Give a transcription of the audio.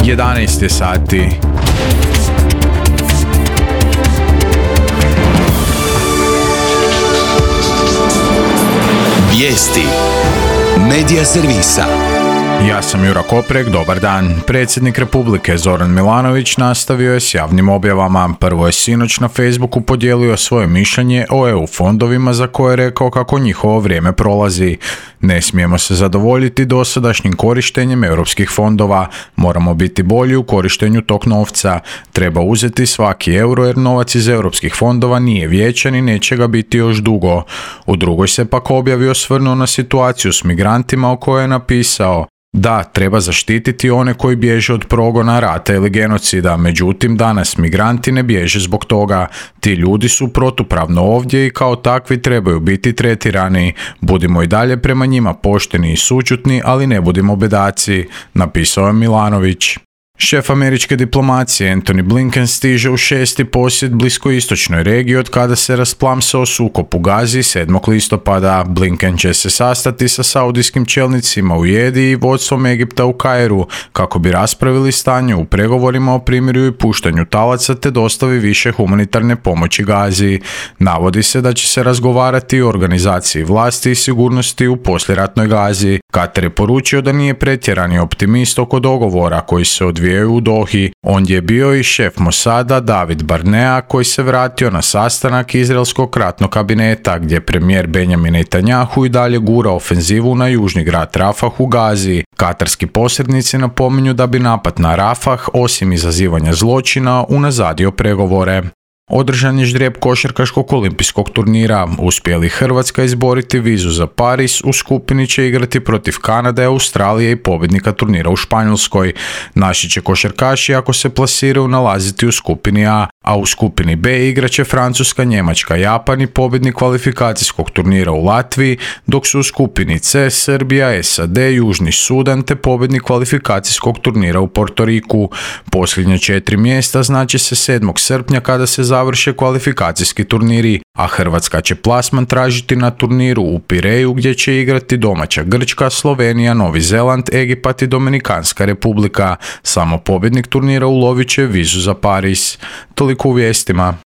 11 je sati. Vijesti Medija servisa. Ja sam Jura Koprek, dobar dan. Predsjednik Republike Zoran Milanović nastavio je s javnim objavama. Prvo je sinoć na Facebooku podijelio svoje mišljenje o EU fondovima za koje je rekao kako njihovo vrijeme prolazi. Ne smijemo se zadovoljiti dosadašnjim korištenjem europskih fondova. Moramo biti bolji u korištenju tog novca. Treba uzeti svaki euro jer novac iz europskih fondova nije vječan i neće ga biti još dugo. U drugoj se pak objavi osvrnuo na situaciju s migrantima o kojoj je napisao: da, treba zaštititi one koji bježe od progona, rata ili genocida, međutim danas migranti ne bježe zbog toga. Ti ljudi su protupravno ovdje i kao takvi trebaju biti tretirani. Budimo i dalje prema njima pošteni i sućutni, ali ne budimo bedaci, napisao je Milanović. Šef američke diplomacije Antony Blinken stiže u 6. posjet bliskoistočnoj regiji od kada se rasplamsao sukob u Gazi 7. listopada. Blinken će se sastati sa saudijskim čelnicima u Jediji i vodstvom Egipta u Kairu kako bi raspravili stanje u pregovorima o primirju i puštanju talaca te dostavi više humanitarne pomoći Gazi. Navodi se da će se razgovarati o organizaciji vlasti i sigurnosti u poslijeratnoj Gazi. Katar je poručio da nije pretjerani optimist oko dogovora koji se odvijaju u Dohi. On je bio i šef Mosada David Barnea koji se vratio na sastanak izraelskog ratnog kabineta gdje premijer Benjamin Netanjahu i dalje gura ofenzivu na južni grad Rafah u Gazi. Katarski posrednici napominju da bi napad na Rafah, osim izazivanja zločina, unazadio pregovore. Održan je ždrijeb košarkaškog olimpijskog turnira. Uspije li Hrvatska izboriti vizu za Pariz, u skupini će igrati protiv Kanade, Australije i pobjednika turnira u Španjolskoj. Naši će košarkaši, ako se plasiraju, nalaziti u skupini a u skupini B igraće Francuska, Njemačka, Japan i pobjednik kvalifikacijskog turnira u Latviji, dok su u skupini C Srbija, SAD, Južni Sudan te pobjednik kvalifikacijskog turnira u Portoriku. Posljednja 4 mjesta znači se 7. srpnja kada se završe kvalifikacijski turniri, a Hrvatska će plasman tražiti na turniru u Pireju gdje će igrati domaća Grčka, Slovenija, Novi Zeland, Egipat i Dominikanska republika. Samo pobjednik turnira ulovit će vizu za Pariz. Toliko u vijestima.